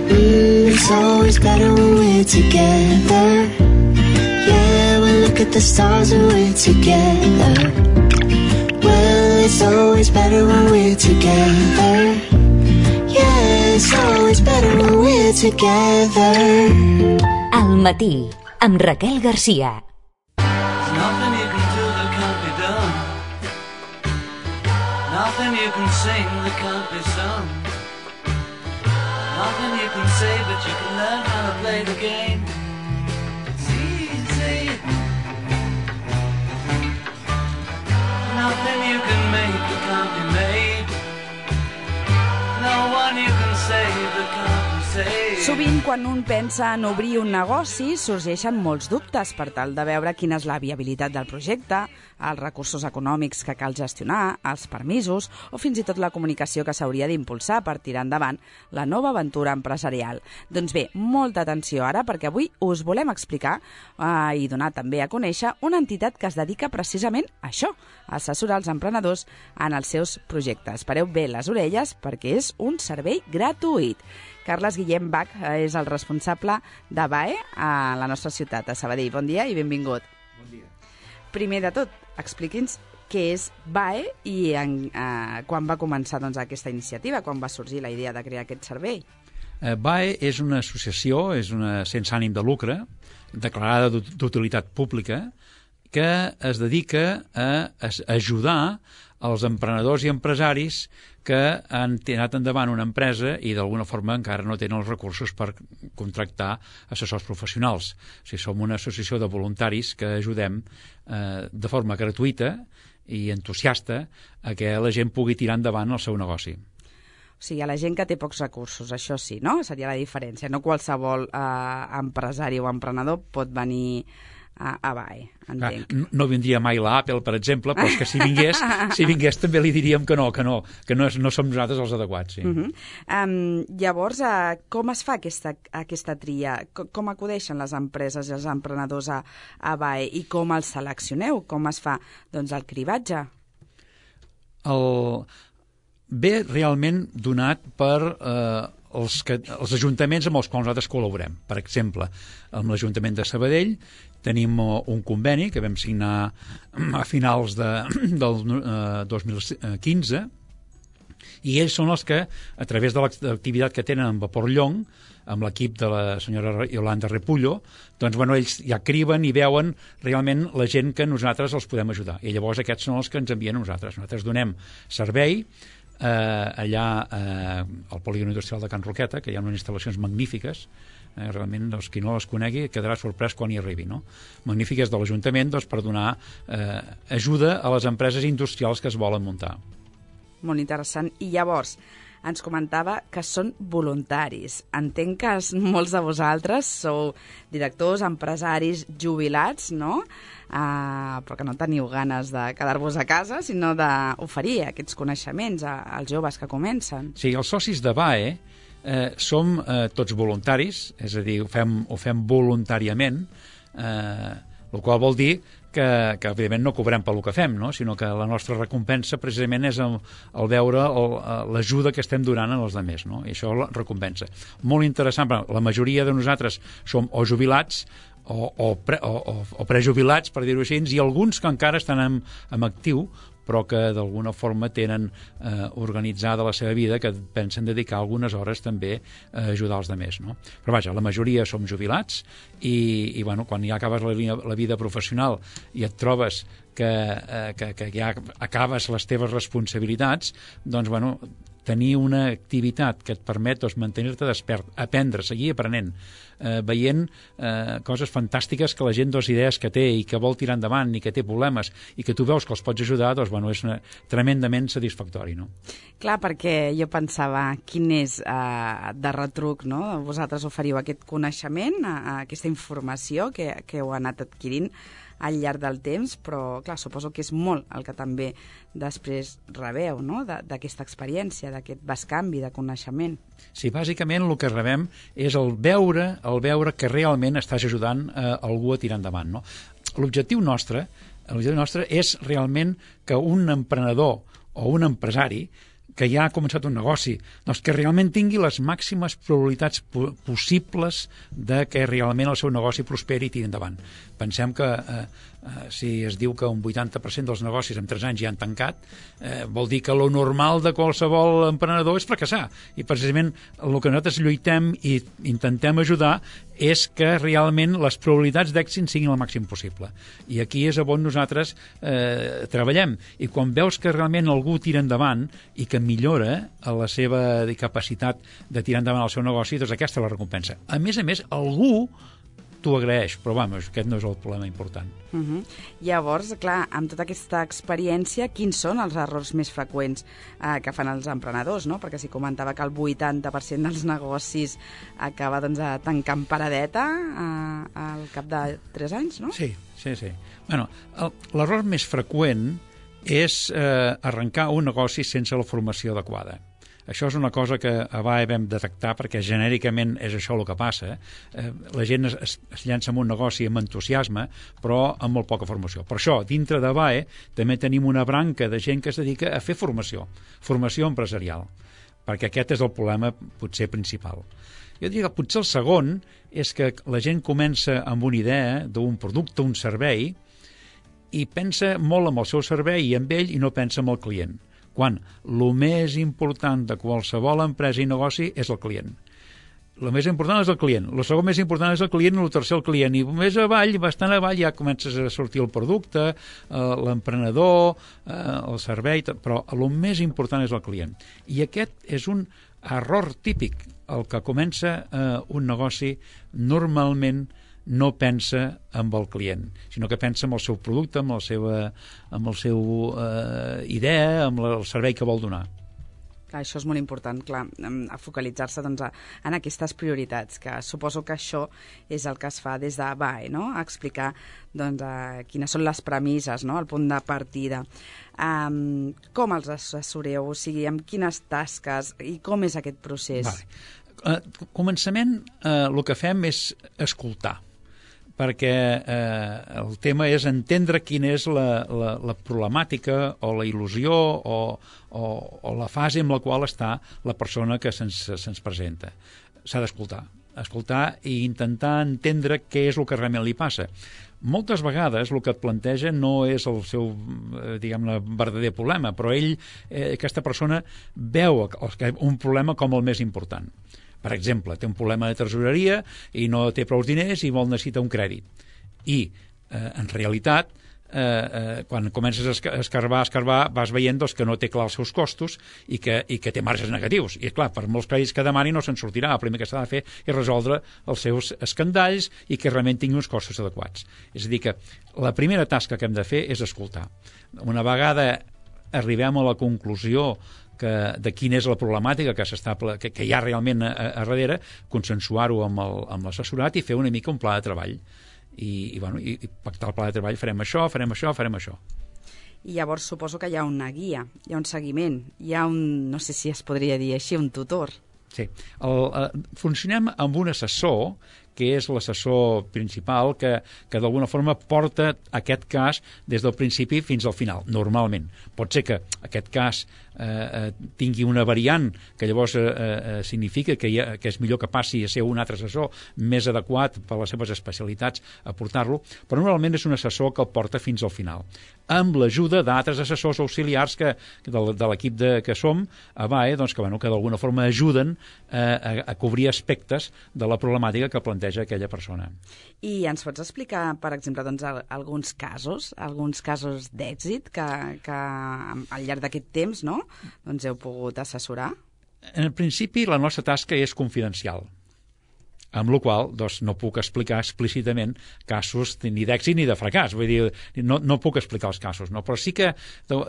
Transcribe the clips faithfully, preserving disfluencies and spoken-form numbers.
Mm, it's always better when we're together. Yeah, we look at the stars when we're together. Well, it's always better when we're together. Yeah, it's always better when we're together. Al matí, amb Raquel Garcia. Nothing you can do that can't be done. Nothing you can sing that can't be sung. Nothing you can say, but you can learn how to play the game. It's easy. Nothing you can make that can't be made. No one you can save that can't be saved. Sovint, quan un pensa en obrir un negoci, sorgeixen molts dubtes per tal de veure quina és la viabilitat del projecte, els recursos econòmics que cal gestionar, els permisos o fins i tot la comunicació que s'hauria d'impulsar per tirar endavant la nova aventura empresarial. Doncs bé, molta atenció ara, perquè avui us volem explicar eh, i donar també a conèixer una entitat que es dedica precisament a això, a assessorar els emprenedors en els seus projectes. Pareu bé les orelles perquè és un servei gratuït. Carles Guillem Bach és el responsable de B A E a la nostra ciutat, a Sabadell. Bon dia i benvingut. Bon dia. Primer de tot, expliqui'ns què és B A E i en, eh, quan va començar doncs, aquesta iniciativa, quan va sorgir la idea de crear aquest servei. Eh, B A E és una associació, és una sense ànim de lucre, declarada d'utilitat pública, que es dedica a, a ajudar els emprenedors i empresaris que han tirat endavant una empresa i d'alguna forma encara no tenen els recursos per contractar assessors professionals. O sigui, som una associació de voluntaris que ajudem eh, de forma gratuïta i entusiasta a que la gent pugui tirar endavant el seu negoci. O sigui, a la gent que té pocs recursos, això sí, no? Seria la diferència. No qualsevol eh, empresari o emprenedor pot venir a, a B A E, entenc. Ah, no vindria mai l'Apple, per exemple, però és que si vingués, si vingués també li diríem que no, que no, que no, no som nosaltres els adequats. Sí. Uh-huh. um, llavors, uh, com es fa aquesta, aquesta tria? Com, com acudeixen les empreses i els emprenedors a, a B A E i com els seleccioneu? Com es fa doncs, el cribatge? El... Ve realment donat per eh, els, que, els ajuntaments amb els quals nosaltres col·laborem. Per exemple, amb l'Ajuntament de Sabadell tenim un conveni que vam signar a finals de, del eh, dos mil quinze i ells són els que, a través de l'activitat que tenen amb Vapor Llong, amb l'equip de la senyora Yolanda Repullo, doncs, bueno, ells ja criben i veuen realment la gent que nosaltres els podem ajudar. I llavors aquests són els que ens envien a nosaltres. Nosaltres donem servei eh, allà eh, al polígon industrial de Can Roqueta, que hi ha unes instal·lacions magnífiques, eh, realment doncs, qui no les conegui quedarà sorprès quan hi arribi, no? Magnífiques de l'Ajuntament doncs, per donar eh, ajuda a les empreses industrials que es volen muntar. Molt interessant. I llavors, ens comentava que són voluntaris. Entenc que molts de vosaltres sou directors, empresaris jubilats, no? Uh, però que no teniu ganes de quedar-vos a casa, sinó d'oferir aquests coneixements als joves que comencen. Sí, els socis de B A E eh, som eh, tots voluntaris, és a dir, ho fem, ho fem voluntàriament, eh, el qual vol dir que, que evidentment no cobrem pel que fem, no? Sinó que la nostra recompensa precisament és el, el veure l'ajuda que estem donant als altres, no? I això la recompensa. Molt interessant, però la majoria de nosaltres som o jubilats o, o, pre, o, o, o prejubilats, per dir-ho així, i alguns que encara estan en, en actiu, però que d'alguna forma tenen eh, organitzada la seva vida, que pensen dedicar algunes hores també a ajudar els altres, no? Però vaja, la majoria som jubilats i, i bueno, quan ja acabes la, la vida professional i et trobes que, eh, que, que ja acabes les teves responsabilitats, doncs, bueno, tenir una activitat que et permet doncs, mantenir-te despert, aprendre, seguir aprenent, eh, veient eh, coses fantàstiques que la gent, doncs, idees que té i que vol tirar endavant i que té problemes i que tu veus que els pots ajudar, doncs, bueno, és una, tremendament satisfactori, no? Clar, perquè jo pensava quin és eh, de retruc, no? Vosaltres oferiu aquest coneixement, eh, aquesta informació que, que heu anat adquirint al llarg del temps, però clar, suposo que és molt el que també després rebeu, no? D'aquesta experiència, d'aquest bescanvi de coneixement. Sí, bàsicament el que rebem és el veure, el veure que realment estàs ajudant eh, algú a tirar endavant, no? L'objectiu nostre, l'objectiu nostre és realment que un emprenedor o un empresari que ja ha començat un negoci, doncs que realment tingui les màximes probabilitats po possibles de que realment el seu negoci prosperi i tiri endavant. Pensem que eh, eh, si es diu que un vuitanta per cent dels negocis en tres anys ja han tancat, eh, vol dir que lo normal de qualsevol emprenedor és fracassar. I precisament el que nosaltres lluitem i intentem ajudar és que realment les probabilitats d'èxit siguin el màxim possible. I aquí és on nosaltres eh, treballem. I quan veus que realment algú tira endavant i que millora la seva capacitat de tirar endavant el seu negoci, doncs aquesta és la recompensa. A més a més, algú t'ho agraeix, però vamos, aquest no és el problema important. Uh -huh. Llavors, clar, amb tota aquesta experiència, quins són els errors més freqüents eh, que fan els emprenedors, no? Perquè si comentava que el vuitanta per cent dels negocis acaba doncs, tancant paradeta eh, al cap de tres anys, no? Sí, sí, sí. Bueno, l'error més freqüent és eh, arrencar un negoci sense la formació adequada. Això és una cosa que a B A E vam detectar perquè genèricament és això el que passa. Eh, la gent es, es llança en un negoci amb entusiasme, però amb molt poca formació. Per això, dintre de B A E també tenim una branca de gent que es dedica a fer formació, formació empresarial, perquè aquest és el problema potser principal. Jo diria que potser el segon és que la gent comença amb una idea d'un producte, un servei, i pensa molt amb el seu servei i amb ell i no pensa en el client, quan el més important de qualsevol empresa i negoci és el client. El més important és el client, el segon més important és el client i el tercer el client, i més avall, bastant avall, ja comences a sortir el producte, eh, l'emprenedor, eh, el servei, però el més important és el client. I aquest és un error típic. El que comença eh, un negoci normalment no pensa amb el client, sinó que pensa amb el seu producte, amb la seva amb el seu eh, idea, amb el servei que vol donar. Clar, això és molt important, clar, a focalitzar-se doncs, en aquestes prioritats, que suposo que això és el que es fa des de B A E, no? A explicar doncs, a, quines són les premisses, no? El punt de partida. Um, com els assessoreu? O sigui, amb quines tasques i com és aquest procés? Vale. Uh, començament, uh, el que fem és escoltar, perquè eh, el tema és entendre quina és la, la, la problemàtica o la il·lusió o, o, o la fase en la qual està la persona que se'ns se'ns presenta. S'ha d'escoltar, escoltar i intentar entendre què és el que realment li passa. Moltes vegades el que et planteja no és el seu, eh, diguem-ne, verdader problema, però ell, eh, aquesta persona, veu un problema com el més important. Per exemple, té un problema de tresoreria i no té prou diners i vol necessitar un crèdit. I, eh, en realitat, eh, eh, quan comences a escarbar, a escarbar, vas veient doncs, que no té clar els seus costos i que, i que té marges negatius. I, clar, per molts crèdits que demani no se'n sortirà. El primer que s'ha de fer és resoldre els seus escandalls i que realment tingui uns costos adequats. És a dir, que la primera tasca que hem de fer és escoltar. Una vegada arribem a la conclusió que, de quina és la problemàtica que, que, que hi ha realment a, a darrere, consensuar-ho amb l'assessorat i fer una mica un pla de treball. I, i, bueno, i, i pactar el pla de treball, farem això, farem això, farem això. I llavors suposo que hi ha una guia, hi ha un seguiment, hi ha un, no sé si es podria dir així, un tutor. Sí. El, eh, funcionem amb un assessor que és l'assessor principal, que, que d'alguna forma porta aquest cas des del principi fins al final, normalment. Pot ser que aquest cas eh, tingui una variant que llavors eh, eh, significa que, ha, que és millor que passi a ser un altre assessor més adequat per les seves especialitats a portar-lo, però normalment és un assessor que el porta fins al final, amb l'ajuda d'altres assessors auxiliars que, de, de l'equip que som a B A E, doncs, que, bueno, que d'alguna forma ajuden eh, a, a cobrir aspectes de la problemàtica que planteja aquella persona. I ens pots explicar, per exemple, doncs, alguns casos, alguns casos d'èxit que, que al llarg d'aquest temps, no?, doncs heu pogut assessorar? En principi, la nostra tasca és confidencial, amb la qual doncs, no puc explicar explícitament casos ni d'èxit ni de fracàs. Vull dir, no, no puc explicar els casos, no? Però sí que,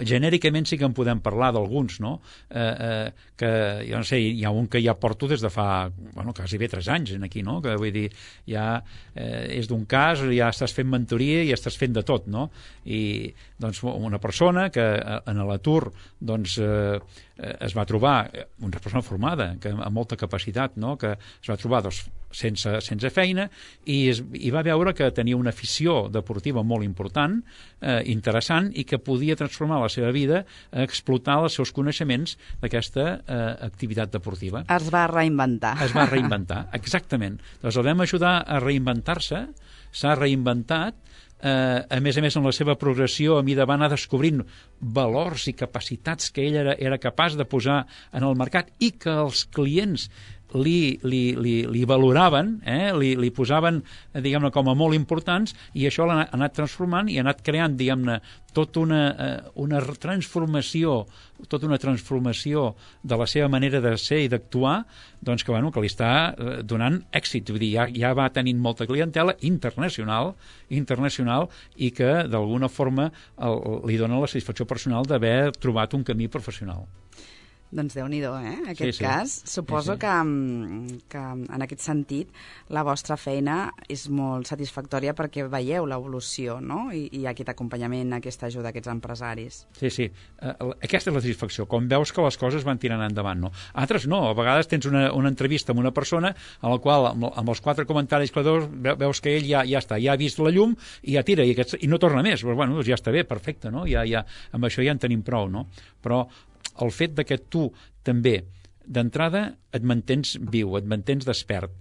genèricament, sí que en podem parlar d'alguns, no? Eh, eh, que, jo no sé, hi ha un que ja porto des de fa, bueno, quasi bé tres anys aquí, no? Que vull dir, ja eh, és d'un cas, ja estàs fent mentoria i estàs fent de tot, no? I, doncs, una persona que en l'atur, doncs, eh, eh, es va trobar una persona formada, que, amb molta capacitat, no? Que es va trobar doncs, sense, sense feina i, es, i va veure que tenia una afició deportiva molt important, eh, interessant, i que podia transformar la seva vida a explotar els seus coneixements d'aquesta eh, activitat deportiva. Es va reinventar. Es va reinventar, exactament. Doncs el vam ajudar a reinventar-se, s'ha reinventat, Eh, a més a més, en la seva progressió, a mida va anar descobrint valors i capacitats que ell era, era capaç de posar en el mercat i que els clients li, li, li, li valoraven, eh? li, li posaven, diguem-ne, com a molt importants, i això l'ha anat transformant i ha anat creant, diguem-ne, tota una, eh, una transformació, tota una transformació de la seva manera de ser i d'actuar, doncs que, bueno, que li està eh, donant èxit. Vull dir, ja, ja va tenint molta clientela internacional, internacional i que, d'alguna forma, el, li dona la satisfacció personal d'haver trobat un camí professional. Doncs Déu-n'hi-do, eh? Aquest sí, sí. cas. Suposo sí, sí. Que, que en aquest sentit la vostra feina és molt satisfactòria perquè veieu l'evolució, no? I, i aquest acompanyament, aquesta ajuda a aquests empresaris. Sí, sí. Uh, aquesta és la satisfacció. Com veus que les coses van tirant endavant, no? Altres no. A vegades tens una, una entrevista amb una persona en la qual, amb, amb els quatre comentaris que dos, veus que ell ja, ja està, ja ha vist la llum i ja tira, i, aquest, i no torna més. Però, bueno, doncs ja està bé, perfecte, no? Ja, ja, amb això ja en tenim prou, no? Però el fet de que tu també, d'entrada, et mantens viu, et mantens despert,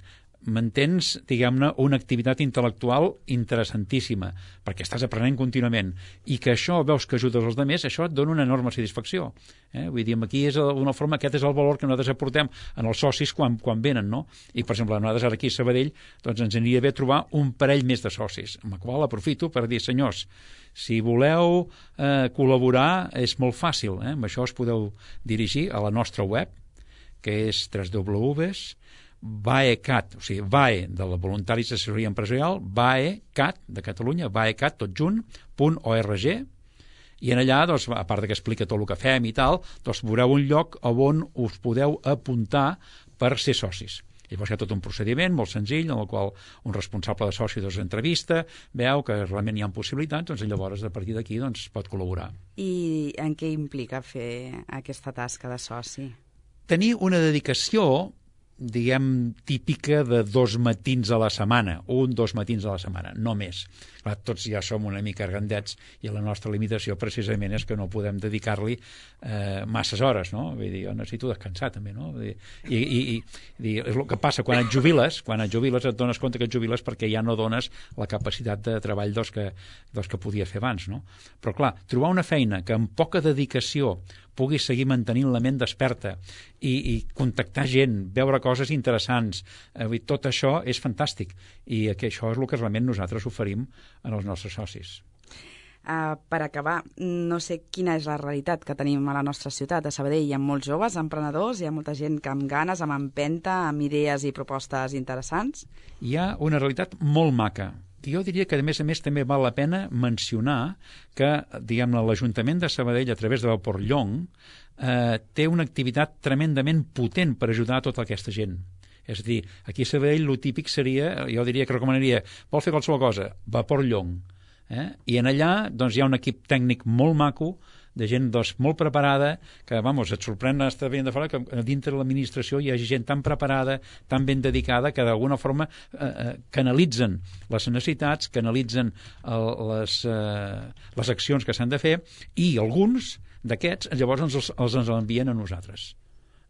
mantens, diguem-ne, una activitat intel·lectual interessantíssima, perquè estàs aprenent contínuament, i que això veus que ajudes els altres, això et dona una enorme satisfacció. Eh? Vull dir, aquí és una forma, aquest és el valor que nosaltres aportem en els socis quan, quan venen, no? I, per exemple, nosaltres ara aquí a Sabadell, doncs ens aniria bé trobar un parell més de socis, amb el qual aprofito per dir, senyors, si voleu eh, col·laborar, és molt fàcil. Eh? Amb això us podeu dirigir a la nostra web, que és w w w punt vaecat, o sigui, vae, de la Voluntaris d'Assessoria Empresarial, vaecat, de Catalunya, vaecat, tot junt, punt org, i en allà, doncs, a part que explica tot el que fem i tal, doncs veureu un lloc on us podeu apuntar per ser socis. Llavors hi ha tot un procediment molt senzill en el qual un responsable de soci doncs, entrevista, veu que realment hi ha possibilitats, doncs llavors a partir d'aquí doncs, pot col·laborar. I en què implica fer aquesta tasca de soci? Tenir una dedicació, diguem, típica de dos matins a la setmana, un, dos matins a la setmana, no més. Clar, tots ja som una mica grandets i la nostra limitació precisament és que no podem dedicar-li eh, masses hores, no? Vull dir, jo necessito descansar també, no? Vull dir, i, i, i, i és el que passa quan et jubiles, quan et jubiles et dones compte que et jubiles perquè ja no dones la capacitat de treball doncs, que, doncs, que podies fer abans, no? Però clar, trobar una feina que amb poca dedicació puguis seguir mantenint la ment desperta i, i contactar gent, veure coses interessants, eh, tot això és fantàstic i que això és el que realment nosaltres oferim en els nostres socis. Uh, per acabar, no sé quina és la realitat que tenim a la nostra ciutat. A Sabadell hi ha molts joves emprenedors, hi ha molta gent que amb ganes, amb empenta, amb idees i propostes interessants. Hi ha una realitat molt maca. Jo diria que, a més a més, també val la pena mencionar que, diguem-ne, l'Ajuntament de Sabadell, a través de Vapor Llong, eh, té una activitat tremendament potent per ajudar a tota aquesta gent. És a dir, aquí a Sabadell el típic seria, jo diria que recomanaria, vol fer qualsevol cosa, Vapor Llong. Eh? I en allà doncs, hi ha un equip tècnic molt maco, de gent doncs, molt preparada, que, vamos, et sorprèn estar veient de fora que dintre de l'administració hi ha gent tan preparada, tan ben dedicada, que d'alguna forma eh, canalitzen les necessitats, canalitzen el, les, eh, les accions que s'han de fer, i alguns d'aquests llavors ens els, els ens envien a nosaltres.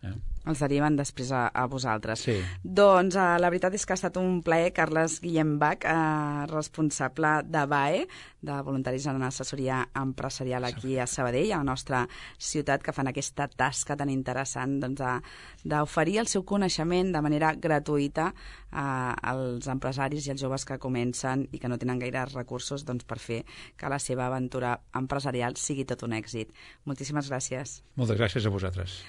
Eh? Els deriven després a, a vosaltres. Sí. Doncs uh, la veritat és que ha estat un plaer, Carles Guillem Bach, uh, responsable de V A E, de Voluntaris en Assessoria Empresarial aquí a Sabadell, a la nostra ciutat, que fan aquesta tasca tan interessant doncs, d'oferir el seu coneixement de manera gratuïta uh, als empresaris i als joves que comencen i que no tenen gaire recursos doncs, per fer que la seva aventura empresarial sigui tot un èxit. Moltíssimes gràcies. Moltes gràcies a vosaltres.